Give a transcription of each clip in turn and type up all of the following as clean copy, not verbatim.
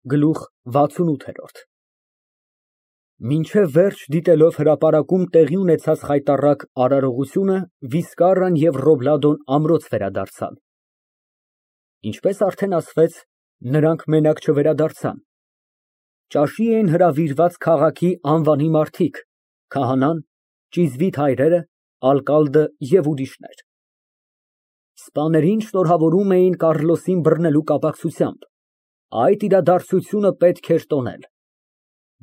Գլուխ վաթսունութ։ Մինչև վերջ դիտելով հրապարակում տեղի ունեցած խայտառակ արարողությունը, Վիսկարրան և Ռոբլադոն ամրոց վերադարձան։ Ինչպես արդեն ասվեց, նրանք մենակ չվերադարձան։ Ճաշի էին հրավիրված քաղաքի անվանի մարդիկ, քահանան, ճիզվիտ հայրերը, ալկալդը և ուրիշներ։ Սպաներին շնորհավորում էին Կառլոսին բռնելու կապակցությամբ, այդ իրադարձությունը պետք էր տոնել։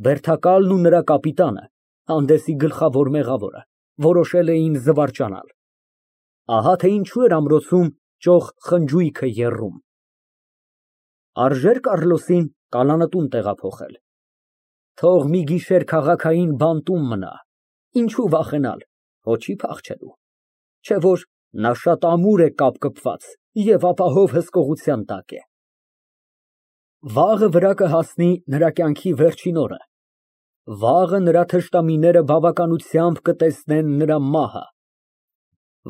Բերդակալն ու նրա կապիտանը, հանդեսի գլխավոր մեղավորը, որոշել էին զվարճանալ։ Ահա թե ինչու էր ամրոցում ճոխ խնջույքը եռում։ Արժե՞ր Կառլոսին կալանատուն տեղափոխել։ Թող մի գիշեր քաղաքային բանտում մնա, ինչու վախենալ, հոչի փախչելու, չէ՞ որ նա շատ ամուր է կապկպված և ապահով հսկողության տակ է։ Վաղը վրա կհասնի նրա կյանքի վերջին օրը, վաղը նրա թշնամիները բավականությամբ կտեսնեն նրա մահը,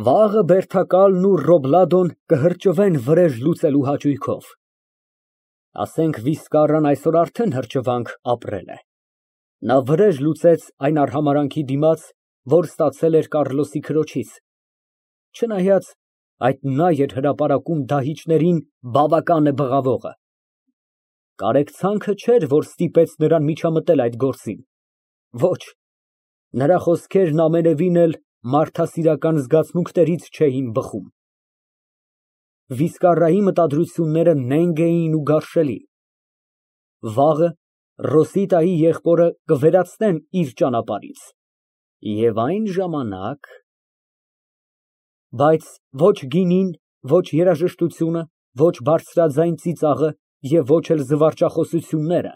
վաղը Բերդակալն ու Ռոբլադոն կհրճվեն վրեժ լուծելու հաճույքով։ Ասենք Վիսկարրան այսօր արդեն հրճվանք ապրել է։ Նա վրեժ լուծեց այն արհամարհանքի դիմաց, որ ստացել էր Կառլոսի քրոջից, չնայած այդ նա էր հրապարակում դահիճներին բավական է բղավողը։ Կարեկցանքը չէր, որ ստիպեց նրան միջամտել այդ գործին։ Ոչ, նրա խոսքերն ամենևին էլ մարդասիրական զգացմունքներից չէին բխում։ Վիսկարրայի մտադրությունները նենգ էին ու գարշելի։ Վաղը Ռոսիտայի եղբորը կվերացնեն իր ճանապարհից, և այն ժամանակ… Բայց ոչ գինին, ոչ երաժշտությունը, ոչ բարձրաձայն ծիծաղը և ոչ էլ զվարճախոսությունները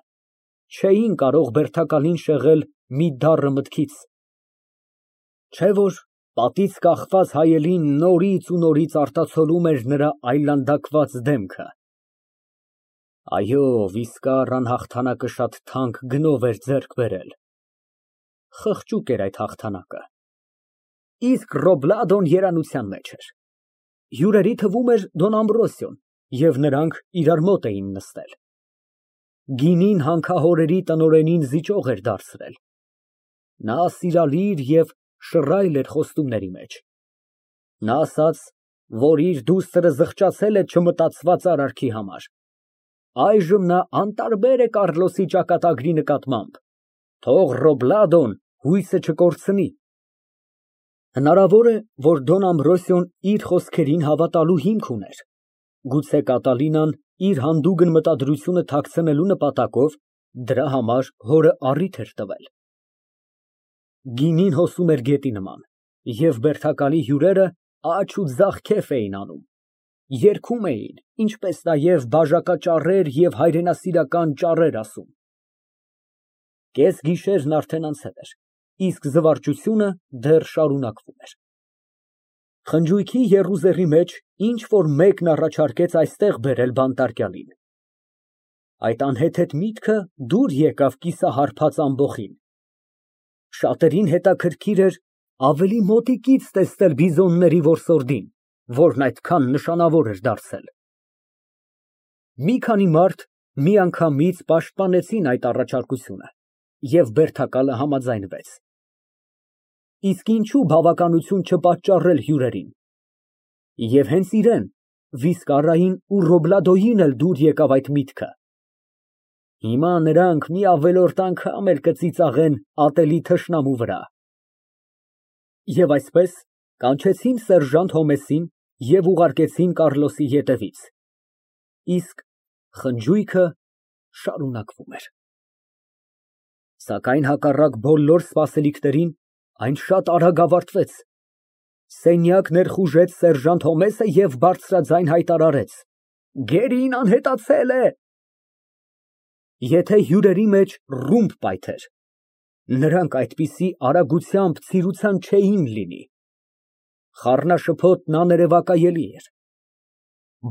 չէին կարող Բերդակալին շեղել մի դառը մտքից։ Չէ՞ որ պատից կախված հայելին նորից ու նորից արտացոլում էր նրա այլանդակված դեմքը։ Այո, Վիսկարրան հաղթանակը շատ թանկ գնով էր ձեռք բերել։ Խղճուկ էր այդ հաղթանակը։ Իսկ Ռոբլադոն երանության մեջ էր։ Հյուրերի թվում էր Դոն Ամբրոսիոն, և նրանք իրար մոտ էին նստել։ Գինին հանքահորերի տնօրենին զիջող էր դարձրել։ Նա սիրալիր և շռայլ էր խոստումների մեջ։ Նա ասաց, որ իր դուստրը զղջացել է չմտածված արարքի համար։ Այժմ նա անտարբեր է Կառլոսի ճակատագրի նկատմամբ, թող Ռոբլադոն հույսը չկորցնի։ Հնարավոր է, որ Դոն Ամբրոսիոն իր խոսքերին հավատալու հիմք ուներ։ Գուցե Կատալինան իր հանդուգն մտադրությունը թաքցնելու նպատակով դրա համար հորը առիթ էր տվել։ Գինին հոսում էր գետի նման, և Բերդակալի հյուրերը աջ ու ձախ քեֆ էին անում, երգում էին, ինչպես նաև բաժակաճառեր և հայրենասիրական ճառեր ասում։ Կեսգիշերն արդեն անցել էր, իսկ զվարճությունը դեռ շարունակվում էր։ Խնջույքի եռուզեռի մեջ ինչ֊որ մեկն առաջարկեց այստեղ բերել բանտարկյալին։ Այդ անհեթեթ միտքը դուր եկավ կիսահարբած ամբոխին։ Շատերին հետաքրքիր էր ավելի մոտիկից տեսնել բիզոնների որսորդին, որն այդքան նշանավոր էր դարձել։ Մի քանի մարդ միանգամից պաշտպանեցին այդ առաջարկությունը, և Բերդակալը համաձայնվեց։ Իսկ ինչու բավականություն չպատճառել հյուրերին։ Եվ հենց իրան, Վիսկարրային ու Ռոբլադոյին էլ դուր եկավ այդ միտքը։ Հիմա նրանք մի ավելորդ անգամ էլ կծիծաղեն ատելի թշնամու վրա։ Եվ այսպես կանչեցին սերժանտ Հոմեսին և ուղարկեցին Կառլոսի ետևից։ Իսկ խնջույքը շարունակվում էր։ Սակայն հակառակ բոլոր սպասելիքներին, այն շատ արագ ավարտվեց։ Սենյակ ներխուժեց սերժանտ Հոմեսը և բարձրաձայն հայտարարեց. «Գերին անհետացել է»։ Եթե հյուրերի մեջ ռումբ պայթեր, նրանք այդպիսի արագությամբ ցիրուցան չէին լինի։ Խառնաշփոթն աներևակայելի էր։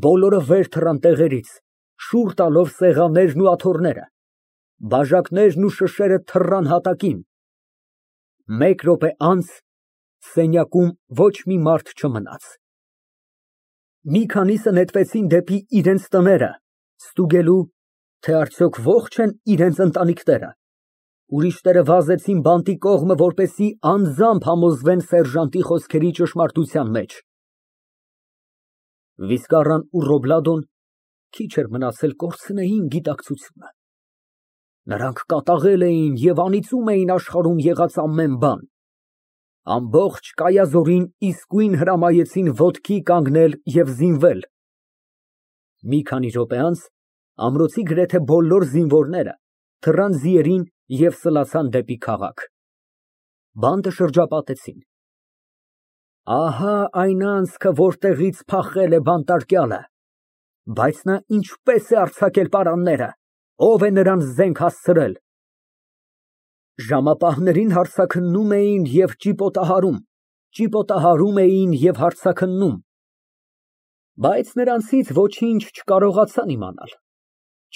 Բոլորը վեր թռան տեղերից, շուռ տալով սեղաններն ու աթոռները, բաժակներն ու շշերը թռան հատակին։ Մեկ րոպե անց սենյակում ոչ մի մարդ չմնաց։ Մի քանիսը նետվեցին դեպի իրենց տները, ստուգելու, Թե արդյոք ողջ են իրենց ընտանիքները։ Ուրիշները վազեցին բանտի կողմը, որպեսզի անձամբ համոզվեն սերժանտի խոսքերի ճշմարտության մեջ։ Վիսկարան ու Ռոբլադոն քիչ էր մնացել կորցնեին գիտակցությունը։ Նրանք կատաղել էին և անիծում էին աշխարհում եղած ամեն բան։ Ամբողջ Կայազորին իսկույն հրամայեցին ոտքի կանգնել և զինվել։ Մի քանի րոպե անց ամրոցի գրեթե բոլոր զինվորները թռան ձիերին և սլացան դեպի քաղաք։ Բանտը շրջապատեցին։ Ահա այն անցքը, որտեղից փախել է բանտարկյալը։ Բայց նա ինչպես է արձակել պարանները, ով է նրան զենք հասցրել։ Ժամապահներին հարձաքննում էին և ճիպոտահարում էին և հարձաքննում, բայց նրանցից ոչինչ չկարողացան իմանալ,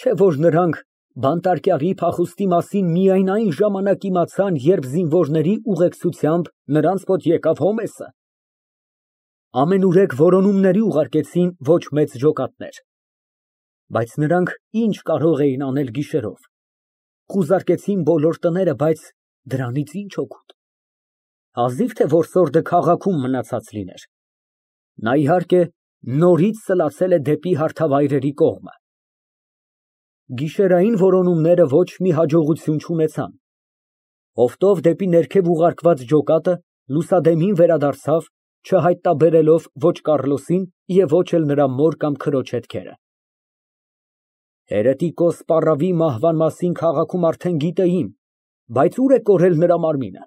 չէ՞ որ նրանք բանտարկյալի փախուստի մասին միայն այն ժամանակ իմացան, երբ զինվորների ուղեկցությամբ նրանց մոտ եկավ Հոմեսը։ Ամենուրեք որոնումների ուղարկեցին ոչ մեծ ջոկատներ, բայց նրանք ինչ կարող էին անել գիշերով։ Խուզարկեցին բոլոր տները, բայց դրանից ինչ օգուտ։ Հազիվ թե որսորդը քաղաքում մնացած լիներ։ Նա, իհարկե, նորից սլացել է դեպի հարթավայրերի կողմը։ Գիշերային որոնումները ոչ մի հաջողություն չունեցան։ Հովտով դեպի ներքև ուղարկված ջոկատը լուսադեմին վերադարձավ, չհայտնաբերելով ոչ Կառլոսին և ոչ էլ նրա մոր կամ քրոջ հետքերը։ Հերետիկոս պառավի մահվան մասին քաղաքում արդեն գիտեին, բայց ուր է կորել նրա մարմինը։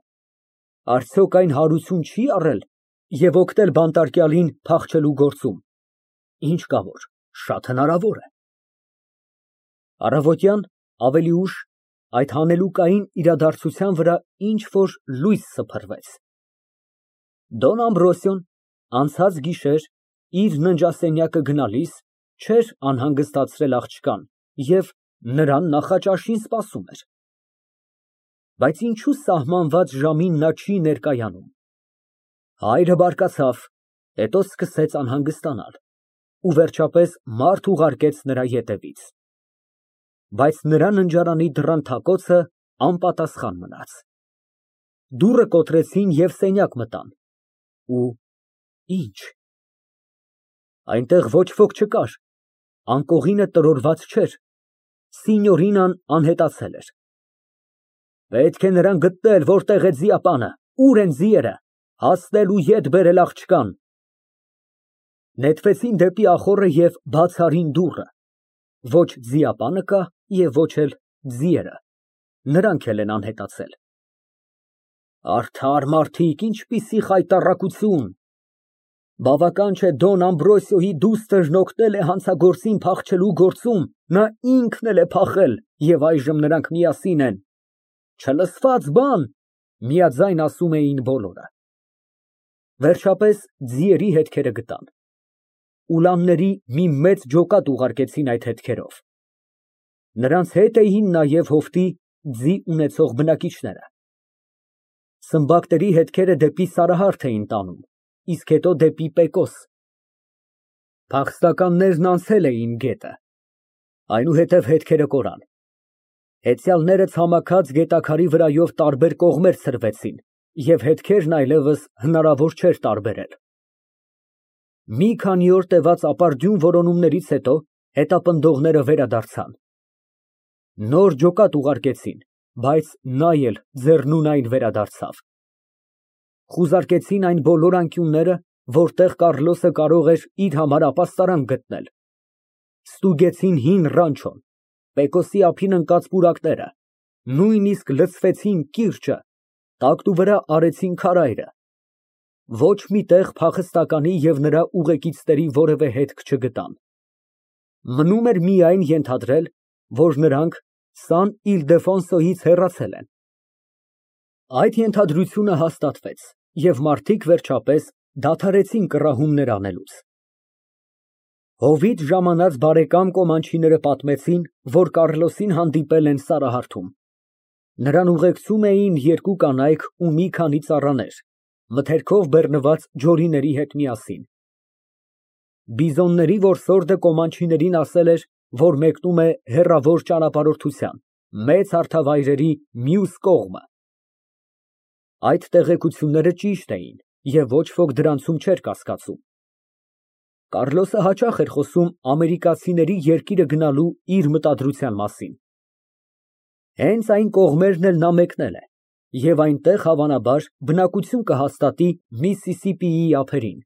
Արդյոք այն հարություն չի առել և օգնել բանտարկյալին փախչելու գործում։ Ինչ կա որ, շատ հնարավոր է։ Առավոտյան ավելի ուշ այդ հանելուկային իրադարձության վրա ինչ֊որ լույս սփռվեց։ Դոն Ամբրոսիոն անցած գիշեր իր ննջասենյակը գնալիս չէր անհանգստացրել աղջկան և նրան նախաճաշին սպասում էր։ Բայց ինչու սահմանված ժամին նա չի ներկայանում։ Հայրը բարկացավ, հետո սկսեց անհանգստանալ ու վերջապես մարդ ուղարկեց նրա ետևից։ Բայց նրա ննջարանի դռան թակոցը անպատասխան մնաց։ Դուռը կոտրեցին և սենյակ մտան։ Ու ի՞նչ։ Այնտեղ ոչ ոք չկար, անկողինը տրորված չէր, սինյորինան անհետացել էր։ Պետք է նրան գտնել, որտեղ է ձիապանը, ուր են ձիերը, հասնել ու ետ բերել աղջկան։ Նետվեցին դեպի ախոռը և բաց արին դուռը։ Ոչ ձիապանը կա և ոչ էլ ձիերը, նրանք էլ են անհետացել։ Արդար մարդիկ, ինչպիսի խայտառակություն։ Բավական չէ Դոն Ամբրոսիոյի դուստրն օգնել է հանցագործին փախչելու գործում, նա ինքն էլ է փախել և այժմ նրանք միասին են։ Չլսված բան, միաձայն ասում էին բոլորը։ Վերջապես ձիերի հետքերը գտան։ Ուլանների մի մեծ ջոկատ ուղարկեցին այդ հետքերով։ Նրանց հետ էին նաև հովտի ձի ունեցող բնակիչները։ Սմբակների հետքերը դեպի Սարահարթ էին տանում, իսկ հետո դեպի Պեկոս։ Փախստականներն անցել էին գետը, այնուհետև հետքերը կորան։ Հեծյալները ցամաքած գետաքարի վրայով տարբեր կողմեր ցրվեցին, և հետքերն այլևս հնարավոր չէր տարբերել։ Մի քանի օր տևած ապարդյուն որոնումներից հետո հետապնդողները վերադարձան։ Նոր ջոկատ ուղարկեցին, բայց նա էլ ձեռնունայն վերադարձավ։ Խուզարկեցին այն բոլոր անկյունները, որտեղ Կառլոսը կարող էր իր համար ապաստարան գտնել։ Ստուգեցին հին Ռանչոն, Պեկոսի ափին ընկած պուրակները, նույնիսկ լցրեցին կիրճը, տակտու վրա արեցին քարայրը։ Ոչ մի տեղ փախստականի և նրա ուղեկիցների որևէ հետք չգտան։ Մնում էր միայն ենթադրել, որ նրանք Սան Իլդեֆոնսոյից հեռացել են։ Այդ ենթադրությունը հաստատվեց, և մարդիկ վերջապես դադարեցին կռահումներ անելուց։ Հովիտ ժամանած բարեկամ կոմանչիները պատմեցին, որ Կառլոսին հանդիպել են Սարահարթում։ Նրան ուղեկցում էին երկու կանայք ու մի քանի ծառաներ, մթերքով բեռնված ջորիների հետ միասին։ Բիզոնների որսորդը կոմանչիներին ասել էր, որ մեկնում է հեռավոր ճանապարհորդության, մեծ հարթավայրերի մյուս կողմը։ Այդ տեղեկությունները ճիշտ էին և ոչ ոք դրանցում չէր կասկածում։ Կառլոսը հաճախ էր խոսում ամերիկացիների երկիրը գնալու իր մտադրության մասին։ Հենց այն կողմերն էլ նա մեկնել է և այնտեղ, հավանաբար, բնակություն կհաստատի Միսիսիպիի ափերին։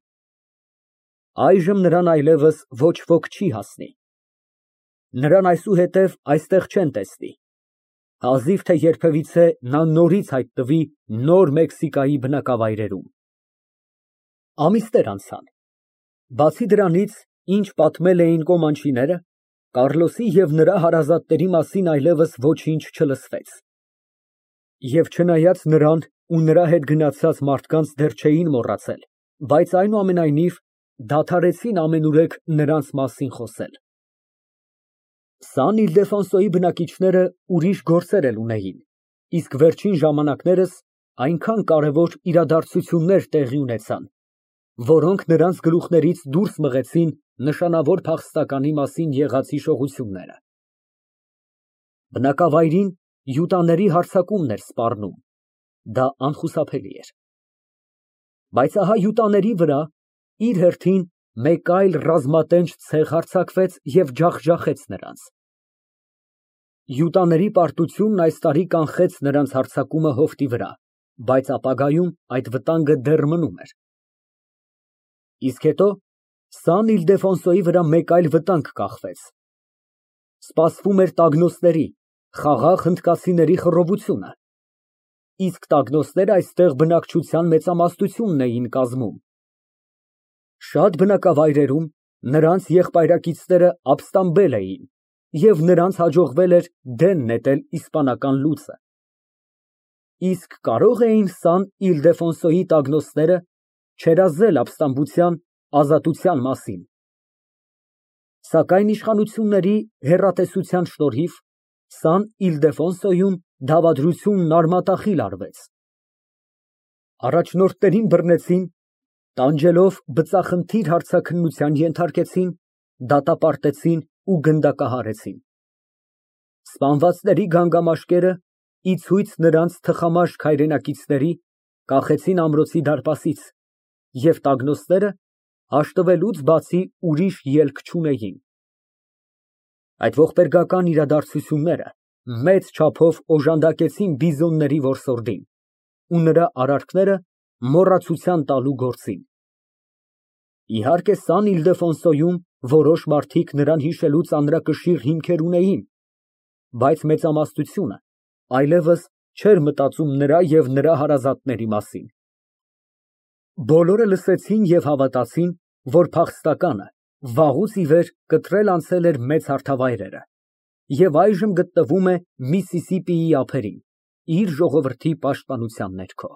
Այժմ նրան այլևս ոչ ոք չի հասնի։ Նրան այսուհետև այստեղ չեն տեսնի, հազիվ թե երբևիցե նա նորից հայտնվի Նոր Մեքսիկայի բնակավայրերում։ Ամիսներ անցան։ Բացի դրանից, ինչ պատմել էին կոմանչիները, Կառլոսի և նրա հարազատների մասին այլևս ոչինչ չլսվեց։ Եվ չնայած նրան ու նրա հետ գնացած մարդկանց դեռ չէին մոռացել, բայց այնուամենայնիվ դադարեցին ամենուրեք նրանց մասին խոսել։ Սան Իլդեֆոնսոյի բնակիչները ուրիշ գործեր էլ ունեին, իսկ վերջին ժամանակներս այնքան կարևոր իրադարձություններ տեղի ունեցան, որոնք նրանց գլուխներից դուրս մղեցին նշանավոր փախստականի մասին եղած հիշողությունները։ Բնակավայրին յուտաների հարձակումն էր սպառնում, դա անխուսափելի էր։ Բայց ահա յուտաների վրա իր հերթին մեկ այլ ռազմատենչ ցեղ հարձակվեց և ջախջախեց նրանց։ Յուտաների պարտությունն այս տարի կանխեց նրանց հարձակումը հովտի վրա, բայց ապագայում այդ վտանգը դեռ մնում էր։ Իսկ հետո Սան Իլդեֆոնսոյի վրա մեկ այլ վտանգ կախվեց։ Սպասվում էր տագնոսների, խաղաղ հնդկացիների խռովությունը, իսկ տագնոսները այստեղ բնակչության մեծամասնությունն էին կազմում։ Շատ բնակավայրերում նրանց եղբայրակիցները ապստամբել էին և նրանց հաջողվել էր դեն նետել իսպանական լուծը։ Իսկ կարո՞ղ էին Սան Իլդեֆոնսոյի տագնոսները չերազել ապստամբության, ազատության մասին։ Սակայն իշխանությունների հեռատեսության շնորհիվ Սան Իլդեֆոնսոյում դավադրությունն արմատախիլ արվեց։ Առաջնորդներին բռնեցին, տանջելով բծախնդիր հարցաքննության ենթարկեցին, դատապարտեցին ու գնդակահարեցին։ Սպանվածների գանգամաշկերը, ի ցույց նրանց թխամաշ հայրենակիցների, կախեցին ամրոցի դարպասից, և տագնոսները հաշտվելուց բացի ուրիշ ելք չունեին։ Այդ ողբերգական իրադարձությունները մեծ չափով օժանդակեցին Բիզոնների որսորդին ու նրա արարքները մոռացության տալու գործին։ Իհարկե, Սան Իլդեֆոնսոյում որոշ մարդիկ նրան հիշելու ծանրակշիռ հիմքեր ունեին, բայց մեծամասնությունը այլևս չէր մտածում նրա և նրա հարազատների մասին։ Բոլորը լսեցին և հավատացին, որ փախստականը վաղուց ի վեր կտրել անցել էր մեծ հարթավայրերը և այժմ գտնվում է Միսիսիպիի ափերին, իր ժողովրդի պաշտպանության ներքո։